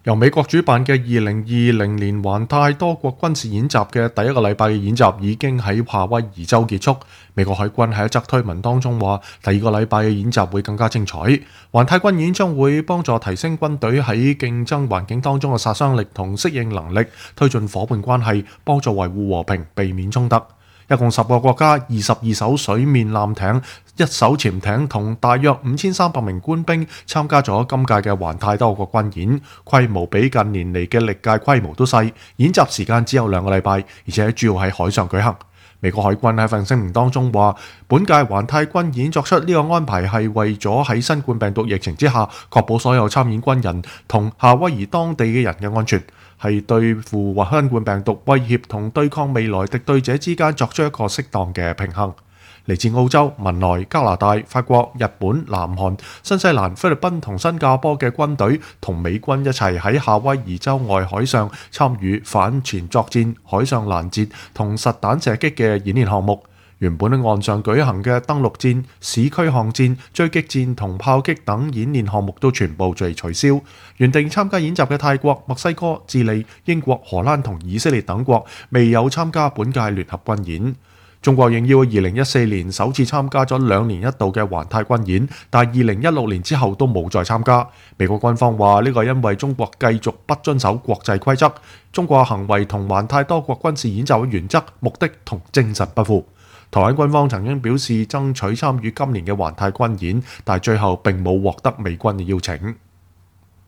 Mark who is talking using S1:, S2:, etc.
S1: 由美國主辦嘅2020年環太多國軍事演習嘅第一個禮拜嘅演習已經喺夏威夷州結束。美國海軍喺一則推文當中話，第二個禮拜嘅演習會更加精彩。環太軍演將會幫助提升軍隊喺競爭環境當中嘅殺傷力同適應能力，推進伙伴關係，幫助維護和平，避免衝突。一共10個國家、22艘水面艦艇、1艘潛艇同大約5300名官兵參加咗今屆嘅環太多國軍演，規模比近年嚟嘅歷屆規模都細，演習時間只有2個禮拜，而且主要喺海上舉行。美國海軍喺份聲明當中話，本屆環太軍演作出呢個安排係為咗喺新冠病毒疫情之下，確保所有參演軍人同夏威夷當地嘅人嘅安全，係對付新冠病毒威脅同對抗未來敵對者之間作出一個適當嘅平衡。嚟自澳洲、文萊、加拿大、法國、日本、南韓、新西蘭、菲律賓同新加坡嘅軍隊同美軍一齊喺夏威夷州外海上參與反潛作戰、海上攔截同實彈射擊嘅演練項目。原本喺岸上舉行嘅登陸戰、市區巷戰、追擊戰同炮擊等演練項目都全部被取消。原定參加演習嘅泰國、墨西哥、智利、英國、荷蘭同以色列等國未有參加本屆聯合軍演。中國應邀2014年首次參加咗2年1度嘅環太軍演，但2016年之後都冇再參加。美國軍方話呢個係因為中國繼續不遵守國際規則，中國行為同環太多國軍事演習嘅原則、目的同精神不符。台灣軍方曾經表示爭取參與今年嘅環太軍演，但最後並冇獲得美軍嘅邀請。